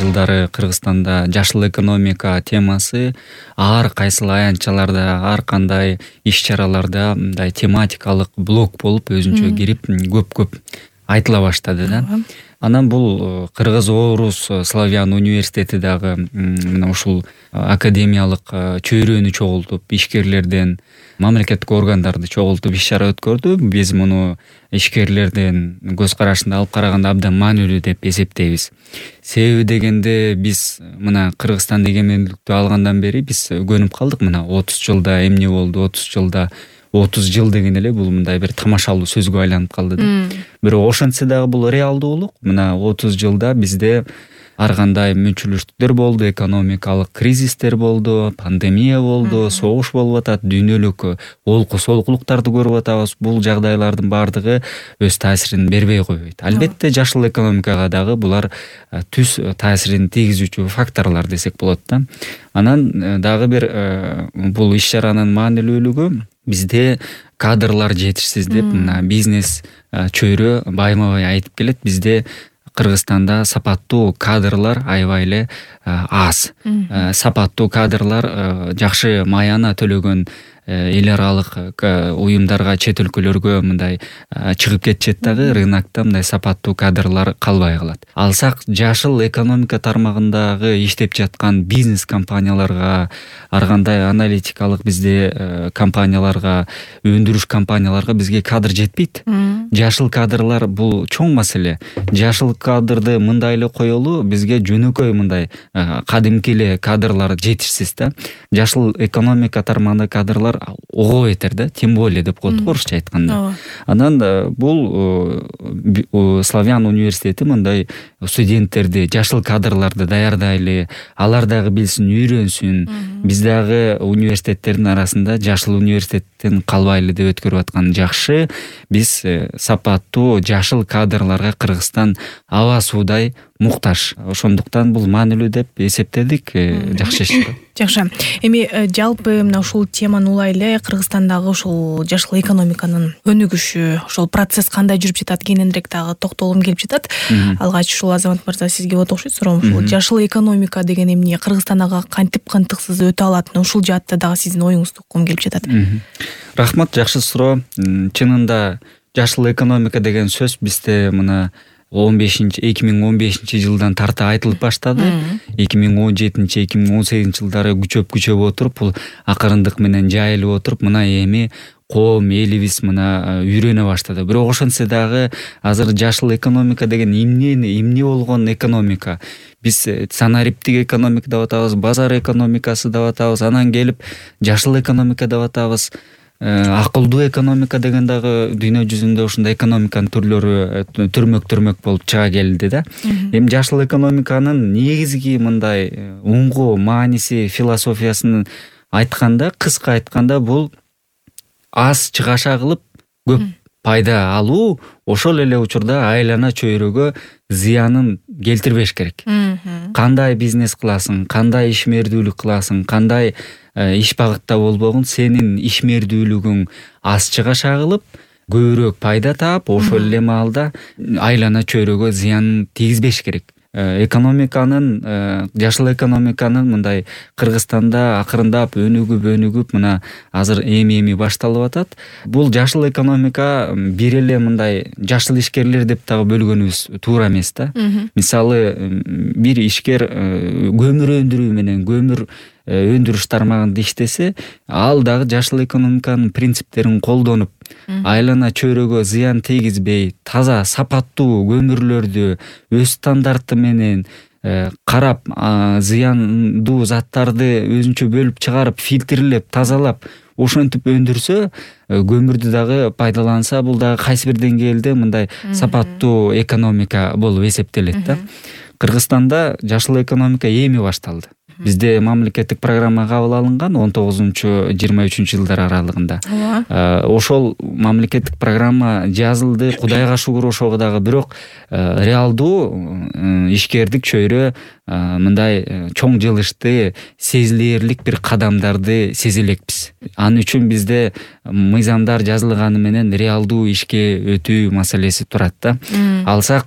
жылдары Кыргызстанда жашыл экономика темасы ар кайсыл аянтчаларда, ар кандай иш-чараларда мындай тематикалык блок болуп өзүнчө кирип көп айтыла баштады да. Анан бул Кыргыз Орус Славян университети дагы мына ушул академиялык чөйрөнү чогултуп, ишкерлерден, мамлекеттик органдарды чогултуп иш-чара өткөрдү. Биз муну ишкерлердин көз карашында алып караганда абдан маанилүү деп эсептейбиз. Себеби дегенде биз мына Кыргызстан эгемендүүлүктү алгандан бери биз көнүп калдык. Мына 30 жылда эмне болду, 30 жылда 30 жыл деген эле бул мындай бир тамашалуу сөзгө айланып калды да. Бирок ошентсе дагы бул реалдуулук. Мына 30 жылда бизде ар кандай мүнчүлүштүктөр болду, экономикалык кризистер болду, пандемия болду, согуш болуп атат, дүйнөлүк олку-солкулуктарды көрүп атабыз. Бул жагдайлардын баардыгы өз таасирин бербей койбойт. Албетте жашыл экономикага дагы булар түз таасирин тийгизүүчү факторлор десек болот да. Анан дагы бир бул иш-чаранын маанилүүлүгү бизде кадрлар жетишсиз деп мына бизнес чөйрө байма-бай айтып келет. Бизде Кыргызстанда сапаттуу кадрлар аябай эле аз. Сапаттуу кадрлар жакшы маяна төлөгөн эл аралык уюмдарга, чет өлкөлөргө мындай чыгып кетишет дагы, рынокто мындай сапаттуу кадрлар калбай калат. Алсак жашыл экономика тармагындагы иштеп жаткан бизнес компанияларга, ар кандай аналитикалык бизде компанияларга, өндүрүш компанияларга бизге кадр жетпейт. Жашыл кадрлар бул чоң маселе. Жашыл кадрды мындай эле коелу, бизге жөнөкөй мындай кадимки эле кадрлар жетишсиз да. Жашыл экономика тармагында кадрлар ого бетер да, тем более деп коет орусча айтканда. Анан бул Славян университети мындай студенттерди, жашыл кадрларды даярдайлы, алар дагы билсин, үйрөнсүн. Биз дагы университеттердин арасында жашыл университеттен калбайлы деп өткөрүп аткан жакшы. Биз сапаттуу жашыл кадрларга Кыргызстан аба суудай муктаж. Ошондуктан бул маанилүү деп эсептедик. Жакшы иш. Жакшы. Эми жалпы мына ушул теманы улай эле Кыргызстандагы ушул жашыл экономиканын өнүгүшү, ошол процесс кандай жүрүп жатат, кененирээк дагы токтолгум келип жатат. Алгач ушул Азамат мырза сизге болот окшойт суроом. Ушул жашыл экономика деген эмне, Кыргызстандагы кантип кантыксыз өтө алат? Ушул жаатта дагы сиздин оюңузду уккум келип жатат. Рахмат, жакшы суроо. Чынында жашыл экономика деген сөз бизде мына 2015 жылдан тарта айтылып баштады. 2017-2018 жылдары күчөп отуруп, бул акырындык менен жайылып отуруп, мына эми коом элибиз мына үйрөнө баштады. Бирок ошентсе дагы азыр жашыл экономика деген эмне болгон экономика? Биз санариптик экономика деп атабыз, базар экономикасы деп атабыз, анан келип жашыл экономика деп атабыз. Акылдуу экономика деген дагы дүйнө жүзүндө ушундай экономиканын түрлөрү түрмөк болуп чыга келди да. Эми жашыл экономиканын негизги мындай уңгу, мааниси, философиясын айтканда, кыска айтканда, бул аз чыгаша кылып көп пайда алуу, ошол эле учурда айлана чөйрөгө зыянын келтирбеш керек. Кандай бизнес кыласың, кандай ишмердүүлүк кыласың, кандай иш багытта болбогун, сенин ишмердүүлүгүң аз чыгаша кылып, көбүрөөк пайда таап, ошол эле маалда айлана чөйрөгө зыян тийгизбеш керек. Экономиканын, жашыл экономиканын мындай Кыргызстанда акырындап өнүгүп мына азыр эми башталып атат. Бул жашыл экономика бир эле мындай жашыл ишкерлер деп дагы бөлгөнүбүз туура эмес да. Мисалы, бир ишкер көмүр өндүрүү менен көмүр өндүрүш тармагында иштесе, ал дагы жашыл экономиканын принциптерин колдонуп, айлана чөйрөгө зыян тийгизбей, таза сапаттуу көмүрлөрдү өз стандарты менен карап, зыяндуу заттарды өзүнчө бөлүп чыгарып, фильтрлеп, тазалап, ошентип өндүрсө, көмүрдү дагы пайдаланса, бул дагы кайсы бир деңгээлде мындай сапаттуу экономика болуп эсептелет да. Кыргызстанда жашыл экономика эми башталды. Бизде мамлекеттик программа кабыл алынган 19-23 жылдар аралыгында. Ошол мамлекеттик программа жазылды, Кудайга шүгүр ошого дагы, бирок реалдуу ишкердик чөйрө мындай чоң жылышты, сезилэрлик бир кадамдарды сезе элекпиз. Ал үчүн бизде мыйзамдар жазылганы менен реалдуу ишке өтүү маселеси турат да. Алсак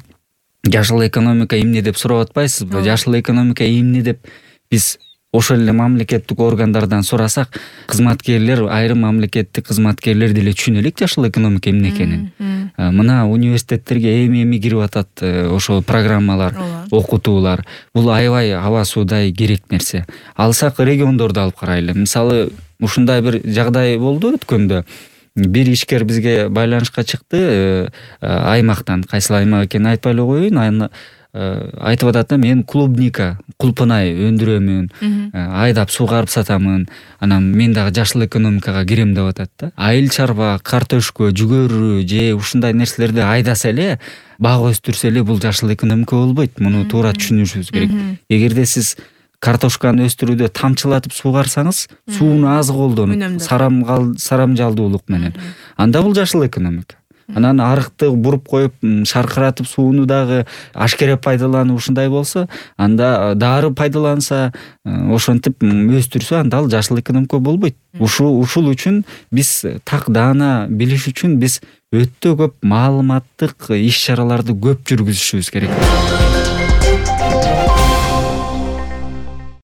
жашыл экономика эмне деп сурап атпайсызбы? Жашыл экономика эмне деп биз ошол эле мамлекеттик органдардан сурасак, кызматкерлер, айрым мамлекеттик кызматкерлер деле түшүнө элек жашыл экономика эмне экенин. Мына университеттерге эми кирип атат ошол программалар, окутуулар. Бул аябай аба суудай керек нерсе. Алсак региондорду алып карайлы. Мисалы, ушундай бир жагдай болду өткөндө. Бир ишкер бизге байланышка чыкты аймактан. Кайсыл аймак экенин айтпай эле коеюн. Айтып атат да, мен клубника, кулпунай өндүрөмүн, айдап сугарып сатамын, анан мен дагы жашыл экономикага кирем деп атат да. Айыл чарба, картошка, жүгөрү же ушундай нерселерди айдаса эле, бак өстүрсө эле бул жашыл экономика болбойт. Муну туура түшүнүшүбүз керек. Эгерде сиз картошканы өстүрүүдө тамчылатып суугарсаңыз, сууну аз колдонуп, сарамжалдуулук менен, анда бул жашыл экономика. Анан арыкты буруп коюп, шаркыратып сууну дагы ашкере пайдаланып ушундай болсо, анда дары пайдаланса, ошентип өстүрсө, анда ал жашыл экономика болбойт. Ушул үчүн биз так даана билиш үчүн биз өтө көп маалыматтык иш-чараларды көп жүргүзүшүбүз керек.